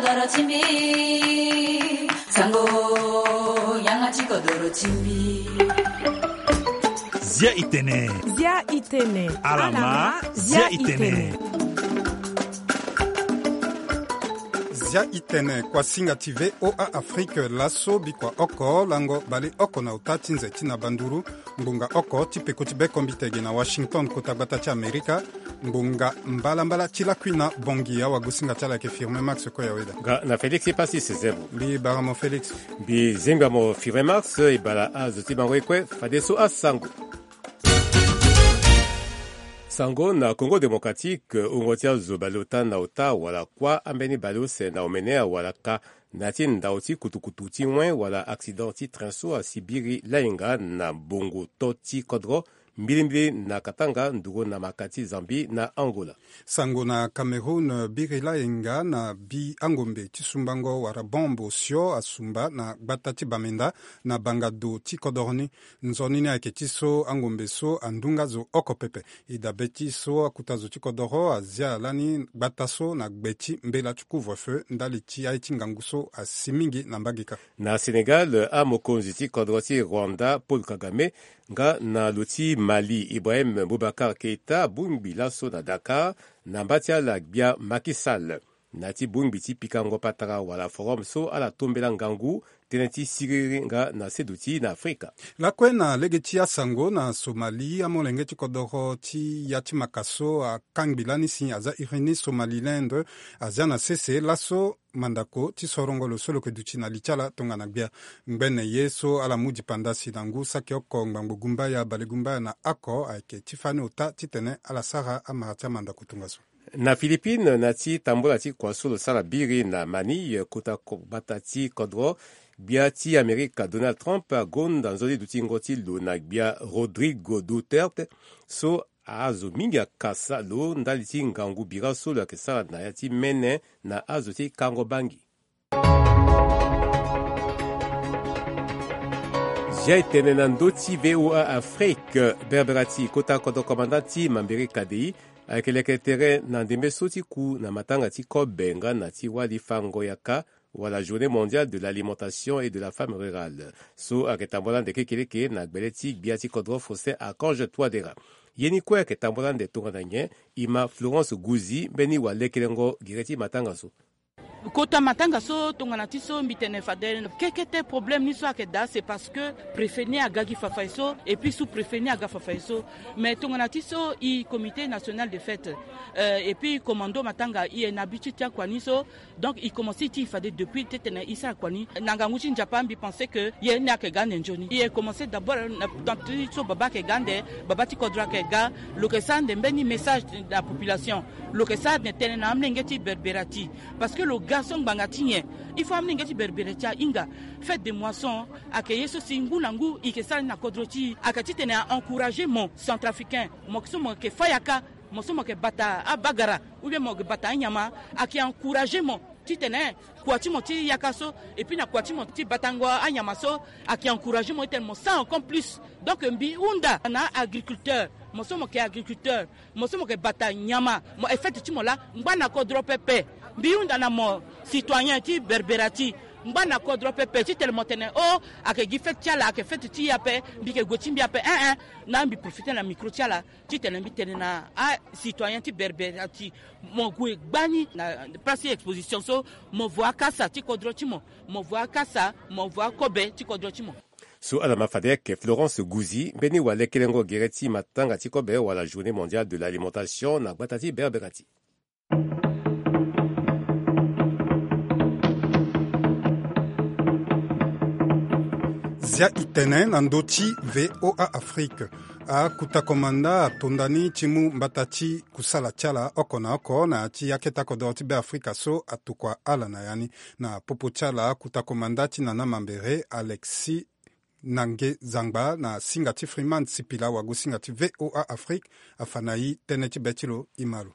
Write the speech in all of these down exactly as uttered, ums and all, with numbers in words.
Kodoro ti mbi, sango, yanga ti kodoro ti mbi. Zia itene. Zia itene. Alama, zia itene. Zia itene, kuasinga ti V O A Afrique, laso bikua oko, lango bale oko na uta ti nze ti na banduru, ngbonga oko ti peko ti bekombite ge na Washington, kota gbata ti Amerika. Ngbonga mbalambala ti lakui na bongi, awagosinga ti ala ayeke Firmin Max Koyaweda. Nga na Félix Epassis Zebo. Mbi bara mo Félix. Mbi zinga mo Firmin Max, e bara azo ti bango ye kue, fadeso asango. Sango na Congo Démocratique, wungo ti azo baleota na ota wala kuâ ambeni baleuse na omene awara ka na ya ti ndau ti kutukutu ti wen wala accident ti train so asi biri layenga na bongo to ti kodro mbilimbili na Katanga, nduru na maka ti Zambie na Angola. Sango na Cameroun, biri layenga na bi angombe ti sumbango wala bombe osio asumba na gbata ti Bamenda na banga do ti kodoro ni. Nzoni ni ayeke ti so angombe so andu nga zo oko pepe. E dabe ti so akuta zo ti kodoro azia lani gbata so na gbe ti mbela ti couvre-feu ndali ti aye ti ngangu so asi mingi na mbage kâ. Na Sénégal, amokonzi ti kodro ti Rwanda, Paul Kagame, nga na lo ti Mali, Ibrahim Boubacar Keïta, abongbi laso na Dakar, na mba ti ala gbia Macky Sall. Na ya ti bongbi ti pikango patara wala forum so ala tombela ngangu tënë ti siriri nga na seduti na Afrika. Lakue na lege ti asango na Somalie, amolenge ti kodoro ti ya ti maka so akangbi lani si aza iri ni Somaliland azia na sese laso mandako ti sorongo lo so lo yeke duti na li ti ala tongana gbia. Ngbene ye so ala mu dipanda si na ngu saki oko ngbangbo gumbaya balegumbaya na oko ayeke ti fani ota titene ala sara amara ti amandako tongaso. Na Philippines, na ya ti tambola ti kua so lo sara biri na Manille, kota ko-, gbata ti kodro, gbia ti Amerika Donald Trump agonda nzoni dutingo ti lo na gbia Rodrigo Duterte so azo mingi akasa lo ndali ti ngangu bira so lo yeke sara na ya ti mene na azo ti kango bangi. Zia e tene na ndö ti V O A Afrique, Berbera ti kota kodro komanda ti Mambere K D I ayeke leke tere na ndembe so ti ku na matanga ti kobe nga na ti wali fango yaka wala Journée mondiale de l'alimentation et de la femme rurale. So ayeke tambola ande kekereke na gbele ti gbia ti kodro Faustin Archange Touadéra. Ye ni kue ayeke tambola ande tongana nyen? E ma Florence Gouzi mbeni walekelengo gere ti matanga so. Kota matanga so tongana ti so mbi tene fade kekete problème ni so ayeke daa, c'est parce que préfet ni aga gi fafaye so et puis sous-préfet ni aga fafaye so. Mais tongana ti so e comité national de fête, euh, et puis commando matanga, e na habitude ti akua ni so. Donc e commencé ti e fade depuis titene e sara kua ni. Na ngangu ti Nzapa mbi pensé que ye ni ayeke ga ande nzoni. E commencé d'abord na temps ti so baba ayeke ga ande, baba ti kodro ayeke ga, lo yeke sara ande mbeni message na population. Lo yeke sara ande tënë na amolenge ti Berbera ti. Parce que lo ga so ngbanga ti nyen? Il faut amolenge ti Berbera ti ahinga. Fête de moisson ayeke ye so si ngu na ngu e yeke sara ni na kodro ti e. Ayeke titene a encourager mo centrafricain, mo so mo yeke fâ yaka, mo so mo yeke bata abagara, ou bien mo yeke bata anyama, ayeke encourager mo titene kua ti mo ti yaka so, et puis na kua ti mo ti batango anyama so, ayeke encourager mo titene mo sara encore plus. Donc mbi hunda na agriculteur, mo so mo yeke agriculteur, mo so mo yeke bata nyama, mo e fête ti mo laa, ngba na kodro pepe. Mbi hunda na mo citoyen ti Berbera ti, ngba na kodro pepe titene mo tene o, ayeke gi fête ti ala, ayeke fête ti e ape, mbi yeke gue ti mbi ape, eh, eh. Na mbi profiter na micro ti ala titene mbi tene na acitoyen ti Berbera ti, mo gue gbani na place ti exposition so, mo vo akasa ti kodro ti mo, mo vo akasa, mo vo akobe ti kodro ti mo. So ala ma fade ayeke Florence Gouzi mbeni walekelengo gere ti matanga ti kobe wala Journée mondiale de l'alimentation na gbata ti Berbera ti. Zia e tene na ndö ti V O A Afrique. Akuta komanda ato ndani ti mu mbata ti kusala ti ala oko na oko na ya ti akete kodoro ti Beafrika so atokua ala na ya ni. Na popo ti ala akuta komanda ti Nana Mambere, Alexis Nange Zangba, na singa ti Freeman Sipila, wagosinga ti V O A Afrique, afa na e tënë ti be ti lo. E ma lo.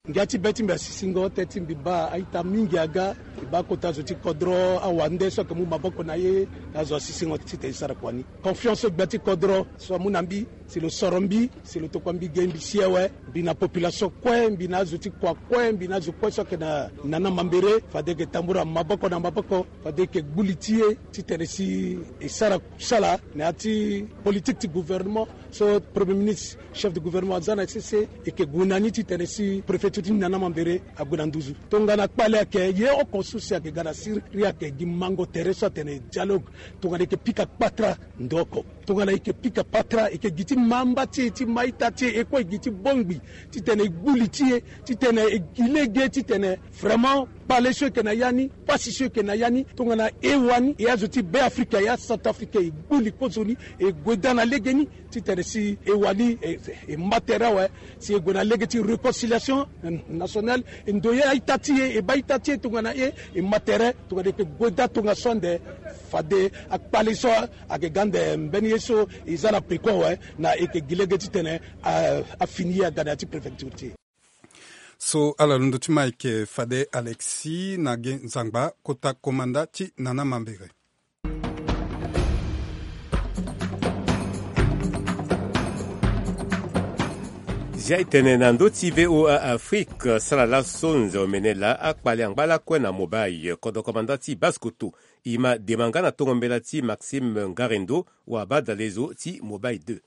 Ngia ti be ti mbi asisingo teti mbi baa a-ita mingi aga. Mbi baa kota zo ti kodro awande so ayeke mu maboko na ye na azo asisingo titene e sara kua ni. Confiance so gbia ti kodro so amu na mbi si lo soro mbi si lo tokua mbi ge mbi si awe. Mbi na population kue mbi na azo ti kua kue mbi na azo kue so ayeke na nana mambere fade e yeke tambula maboko na maboko fade e yeke gbu li ti e titene si e sara kusala na ya ti politique ti gouvernement. So premier ministre chef de gouvernement aza na sese e yeke gue na ni titene si préfecture ti nana mambere ague na nduzu. Tongana kpale ayeke ye oko so si ayeke ga na siri ayeke gi mango tere so atene dialogue. Tongana e yeke pika kpatra ndo oko tongana e yeke pika kpatra e yeke gi ti ma mba ti e ti ma ita ti e e kue e gi ti bongbi titene e gbu li ti e titene e gi lege titene vraiment kpale so e yeke na ya ni pasi so e yeke na ya ni tongana e wani e azo ti be afrika e acentrafricain e gbu li kozoni e gue daa na lege ni titene si e wani e ma tere awe si e gue na lege ti réconciliation nationale. E ndoye a-ita ti e e baa ita ti e tongana e e ma tere tongana e yeke gue daa tongaso ande fade akpale so ayeke ga ande mbeni ye so e za na peko awe na e yeke gi lege titene afini ye aga na ya ti préfecture ti e. So ala londo ti ma ayeke fade alexis na ge nzangba kota komanda ti nana mambere. Zia e tene na ndö ti voa afrique sara laso nze omene laa akpale angba lakue na mobile kodro komanda ti basse kotto. E ma dema nga na tongo mbela ti maxime ngarindo wabadalezo ti mobile deux.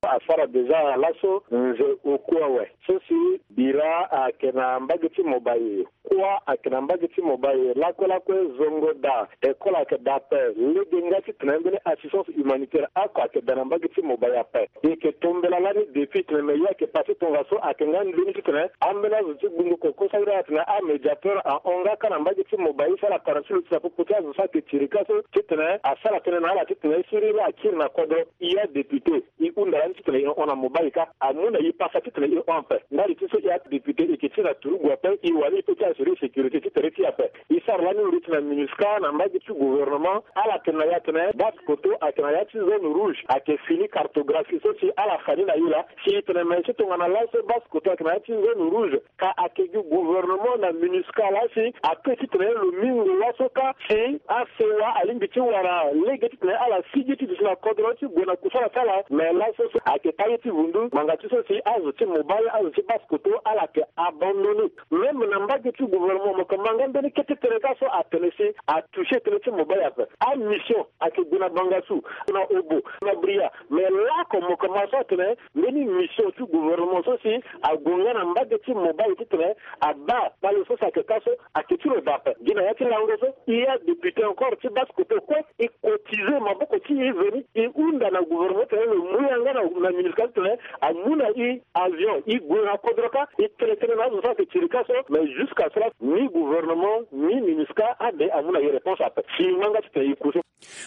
Asara déjà laso nze oku awe so si bira ayeke na mbage ti mobile. Kuâ ayeke na mbage ti mobile lakue lakue zongo daa. École ayeke daa ape lege nga titene ambeni assistance humanitaire oko ayeke daa na mbage ti mobile ape. E yeke tombela lani depuis tene me ye ayeke pase tongaso ayeke nga mbeni titene ambeni azo ti gbungo koko so ayeke atene amédiateur ahon nga kâ na mbage ti mobile so ala tara ti lo ti na popo ti azo so ayeke tirika so titene asara tënë na ala titene e siri la akiri na kodro. E adéputé e hunda lani titene e hon na mobile kâ amu na e pasa titene e hon ape. Ndali ti so e adéputé e yeke ti na turugu ape e wani e peut ti assurer sécurité ti tere ti e ape. E sara lani lo ti na minusca na mbage ti gouvernement ala tene na ya tene basse kotto ayeke na ya ti zone rouge ayeke fini cartographie so si ala fa ni na e laa. Si e tene me so tongana laso basse kotto ayeke na ya ti zone rouge ka ayeke gi gouvernement na minusca laa si ape titene lo mingo laso kâ si asewa alingbi ti wara lege titene ala sigi ti duti na kodro ti gue na kusala ti ala me laso so ayeke taye ti vundu ngbanga ti so si azo ti mobile azo ti basse kotto ala yeke abandonné. Même na mbage ti gouvernement mo yeke ma nga mbeni kete tënë kâ so atene si atoucher tënë ti mobile ape. Amission ayeke gue na bangassou, na obo, na bria. Mais laoko mo yeke ma so atene mbeni mission ti gouvernement so si ague nga na mbage ti mobile titene abaa kpale so si ayeke kâ so ayeke ti lo daa ape. Gi na ya ti lango so e adéputé encore ti basse kotto kue e cotiser maboko ti e veni e hunda na gouvernement titene lo mu yanga na minusca titene amu na e avion e gue na kodro kâ e tene tënë na azo so ayeke tirika so. Mais jusqu'à cela ni gouvernement ni minusca ade amu na e réponse ape. Si e ma nga titene e ku so.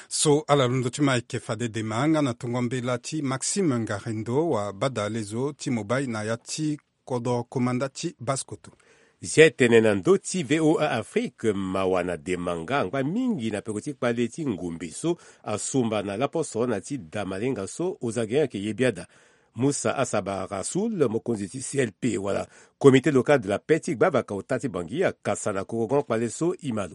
So ala londo ti ma ayeke fade dema nga na tongo mbela ti maxime ngarindo wabadalezo ti mobile na ya ti kodro komanda ti basse kotto. Zia e tene na ndö ti voa afrique mawa na dema nga angba mingi na peko ti kpale ti ngombe so asumba na laposo na ti da malenga so ozage ayeke ye biada. Musa asabara sul mokonzi ti clp wala comité local de la paix ti gbavaka ota ti bangi akasa na korogon kpale so e ma lo.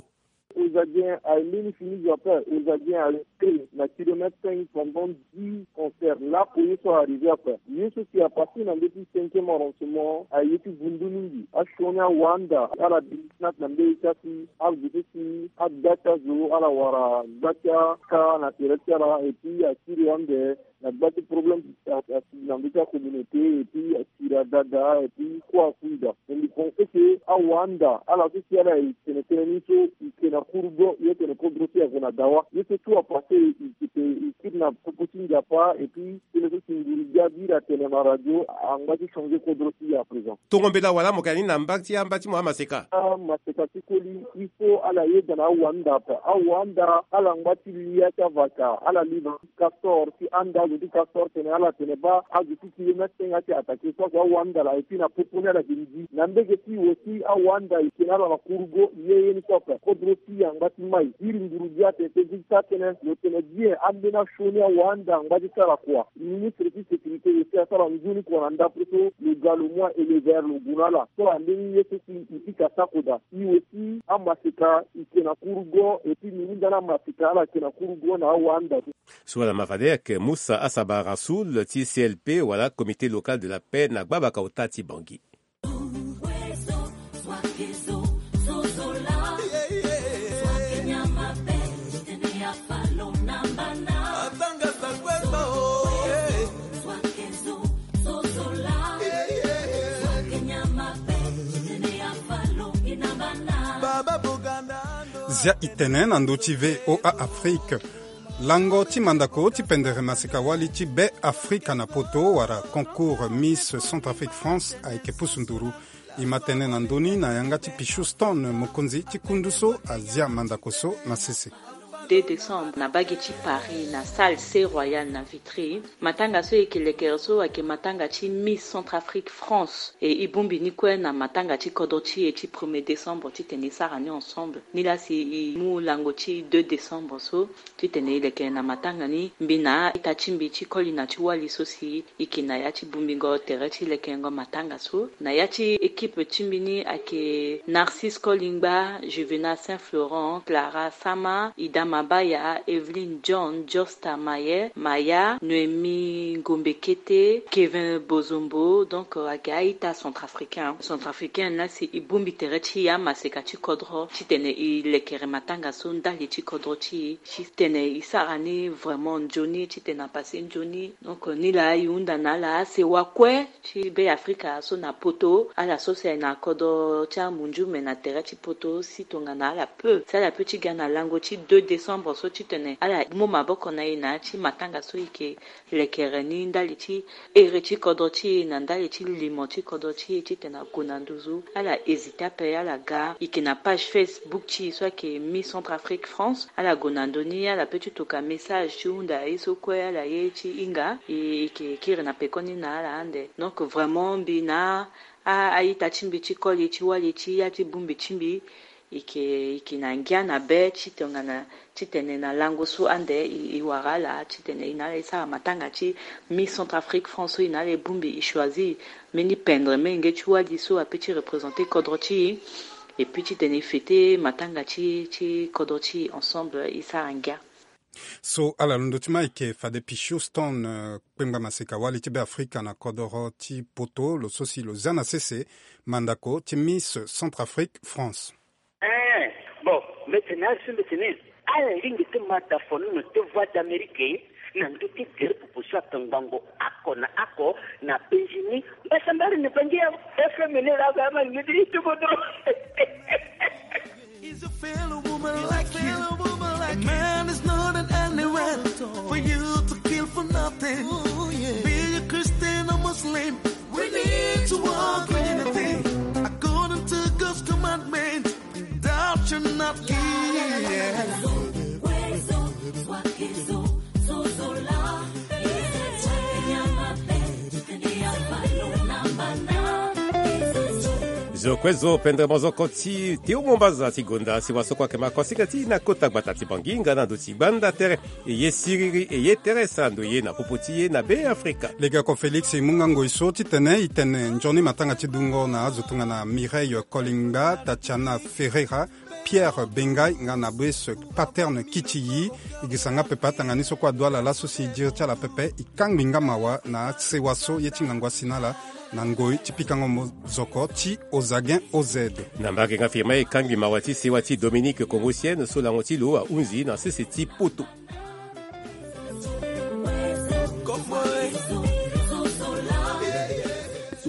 Ozadien aye mbeni fini zo ape. Ozadien aye na kilomètre cinq pendant dix concert lapo ye so arrivé ape. Ye so si apasé na ndö ti cinquième arrondissement aye ti vundu mingi asioni awanda ala biri ti na ati na mbeni ti asi azo so si agba ti azo ala wara gba ti aka na tere ti ala et puis asiri ande na gba ti problème asigi na ndö ti acommunauté et puis asiri adada et puis kue akui daa. Mbi pense que awanda ala so si ala e tene tënë ni so e ke na kuru do ye tene kodro ti e ague na dawa ye so tout apassé e kidnappe popo ti nzapa et puis tënë so si nguru gi abiri atene na radio angba ti changer kodro ti e à présent. Tongo mbela wala mo ke na ni na mba ti amba ti mo amaseka. Amaseka ti koli il faut ala yeda na awanda ape. Awanda ala ngba ti lia ti avaka ala livre ti castor ti anda. Ti Castor tene ala tene baa azo ti ti ye mê tenga ti attaqué so ayeke awanda laa, et puis na popo ni ala yeke ndi na mbege ti e aussi. Awanda e tene ala na kurugo ye ye ni so ape. Kodro ti e angba ti mai iri nduru gi atene ti gi ti atene lo tene bien ambeni asioni awanda angba ti sara kua. Ministre ti sécurité aussi asara nzoni kua na ndapre so lo ga lo mu a élever lo gue na ala so ambeni ye so si e pika sakoda. E aussi amaseka e ke na kurugo, et puis mingi ndani amaseka ala ke na kurugo na awanda. So wala ma fade ayeke Moussa Asaba Rassoul ti C L P wala Comité Local de la Paix na gbabaka ota ti Bangui. Zia e tene na ndö ti V O A Afrique. Lango ti mandako ti pendere maseka-wali ti Be Afrika na poto wala concours Miss Centrafrique France ayeke pusu nduru. E ma tene na ndö ni na yanga ti Pichou Stone, mokonzi ti kundu so azia mandako so na sese. Deux décembre na bage ti Paris na salle C Royal na Vitry. Matanga so e yeke lekere so ayeke matanga ti Miss Centrafrique France. E e bongbi ni kue na matanga ti kodro ti e ti premier décembre titene e sara ni ensemble. Nilaa si e mu lango ti deux décembre so titene e leke na matanga ni mbi na a-ita ti mbi ti koli na ti wali so si e yeke na ya ti bongbingo tere ti lekengo matanga so. Na ya ti équipe ti mbi ni ayeke Narcisse Kolingba, Juvénat Saint Florent, Clara Sama, Ida Mabaya, Evelyne John, Josta Maye, Maya, Noémie Ngombe Kete, Kevin Bozombo, donc, euh, ayeke a-ita centrafricain. Centrafricain laa si e bongbi tere ti e amaseka ti kodro titene e lekere matanga so ndali ti kodro ti e, titene e sara ni vraiment nzoni, titene apase nzoni. Donc, euh, nilaa e hunda na ala asewa kue ti Be Afrika so na poto, ala so si ayeke na kodro ti amunzu me na tere ti poto si tongana ala peut, si ala peut ti ga na lango ti deux décembre so titene ala mu maboko na e na ya ti matanga so e yeke lekere ni ndali ti ere ti kodro ti e na ndali ti limo ti kodro ti e titene ague na nduzu. Ala hésité ape, ala ga. E yeke na page Facebook ti e so ayeke Miss Centrafrique France. Ala gue na ndö ni, ala peut ti toka message ti hunda ye so kue ala ye ti hinga. E, e yeke kiri na pekoni na ala ande. Donc vraiment mbi na a, a-ita ti mbi ti koli ti wali ti ya ti bongbi ti mbi, e yeke, e yeke na ngia na be ti tongana titene na lango so ande e, e wara ala titene e na ala e sara matanga ti Miss Centrafrique France so e na ala e bongbi, e choisir mbeni pendre menge ti wali so apeut ti représenter kodro ti e. Et puis titene e fêter matanga ti, ti kodro ti e ensemble, e sara ngia. So ala londo ti ma ayeke fade Pichou Stone, euh, kpengba maseka wali ti Be Afrika na kodoro ti poto, lo so si lo zia na sese mandako ti Miss Centrafrique France. Eh, bon, mbi tene asi mbi tene ala lingbi ti ma da fonono ti Voix d'Amérique na ndö ti gere pupu so atongbango oko na oko na Benjini. Mbasambara na Bangi awe. F M ni laa ga ama lingbi ti tuku duru. Is a fellow woman like you. A man is not an anywhere for you to kill for nothing. Be a Christian or Muslim, we need to walk in unity. According to God's commandment, thou shalt not kill. Zo kue zo pendere mozoko ti Théo Mombaza ti gonda si wa so kue ayeke ma kosinga ti na kota gbata ti Bangi nga na ndo ti gbanda tere. E ye siriri, e ye tere sara ndo ye na popo ti ye na Be Afrika. Legeoko Félix e mu nga ngoi so titene e tene nzoni matanga ti dungo na azo tongana Mireille Kolingba, Tatiana Ferreira, Pierre Bengay nga na Brice Paterne Kitiyi. E girisa nga pepe atanga ni so kue adu ala laso si e diri ti ala pepe. E kangbi nga mawa na asewa so ye ti ngangu asi na ala na ngoi ti pikango mozoko ti Ozagen O Z. Na mbage nga firma e kangbi mawa ti sewa ti Dominique Congosienne so lango ti lo ahunzi na sese ti poto.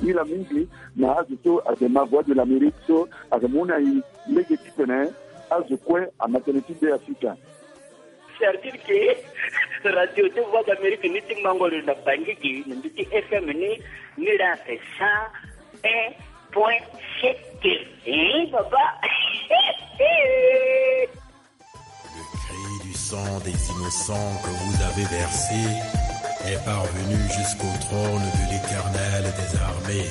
Ila mingi na azo so ayeke ma Voix de l'Amérique so ayeke mu na e lege titene azo kue ama tënë ti Be Afrika. C'est-à-dire que radio ti Voix d'Amérique ni ti mango lo na Bangi gi na ndö ti F M ni, ni laa ayeke cent un point sept. Hein, papa? Le cri du sang des innocents que vous avez versé. Est parvenu jusqu'au trône de l'Éternel des armées.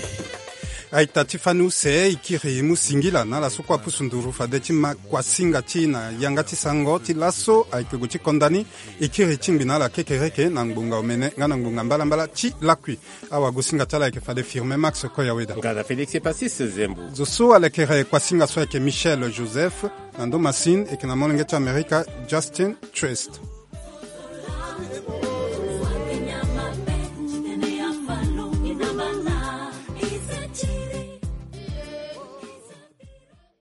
Aita ti fani use e kiri mu singila na ala so kue apusu nduru fade ti ma kuasinga ti e na yanga ti sango ti laso ayeke gue ti konda ni. E kiri ti ngbi na ala kekereke na ngbonga omene nga na ngbonga mbalambala ti lakui. Awagosinga ti ala ayeke fade Firmin Max Koyaweda. Nga na Félix Epasis Zembo. Zo so alekere kuasinga so ayeke Michel Joseph. Na ndo masine eke na molenge ti Amerika Justin Trist.